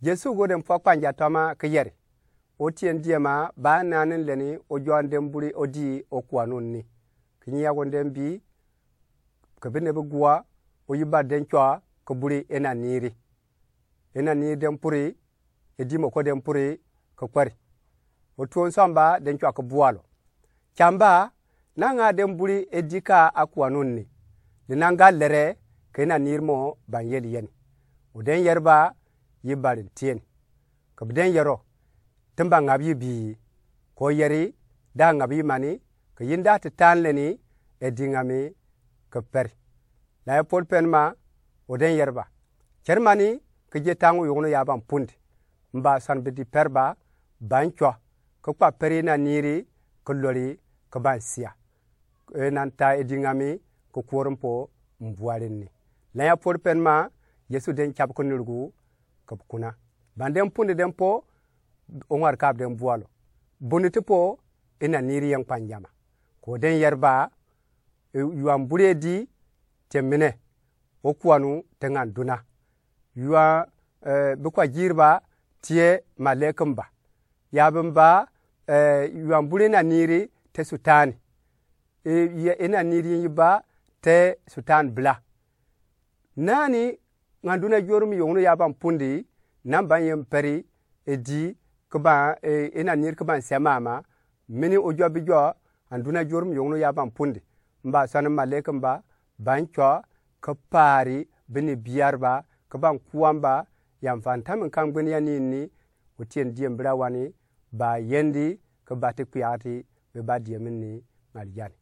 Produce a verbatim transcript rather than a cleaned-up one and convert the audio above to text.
Yesu go den pua kpanja tøma ki yeri, Otieni diema ba naanen leni ojuanen den buri odi okuanu ni. Ki nyiago den bii, ki bine bi gua, oyiba den cua ki buri ena niri. Ena niri den puri, edi moko den puri ki kperi. Otuo nsamba den cua ki bualo. Camba, nanga den buri edi ka akuanu ni. Di nanga lere, ki ena niri mo banyeli yeni. O den yeriba, yiba rin tieni. Ki bi den yero, ti mba ngabyi bii. Ko yeri, da ngabyi mani, ki yinda ti taan leni, edi nga mi ki peri. Laye pol pen ma, o den yeriba. Ceri mani, ki je tangu yugunu ya ban pundi. Mba san bidi peri ba, ban cua, ki kpa peri ena niri, ki lori, ki ban sia. E nan ta edi nga mi, ki kuori mpo, mbuari ni. Lanya pori pen ma, Yesu den cabi ki nirgu, ki kuna. Ban den pundi den po, o ngari kabi den bualo. Buni ti po, ena niri yen kpanjama. Ko den yeriba, e, yuan buri edi, te mine, okuanu, te ngan duna. Yuan, e, bi kwa jiriba, tie malekin ba. Yabin ba, e, yuan buri ena niri, te sutani. E, ye, ena niri yin yiba, te sutani bila. Nani, ngan duna jorum yongunu ya ban pundi, nan ban yen peri, edi, ki ban, e, ena niri ki ban sia mama, mini ojua bijua, an duna jorum yongunu ya ban pundi. Mba sani malekin ba, ban cua, ki paari, bini biari ba, ki ban kuan ba, yan fan tamin kan gbeni ya ni ni, Otieni diem bila wani, ba yendi, ki bati kpiati, bi ba diem ni, ngal jani.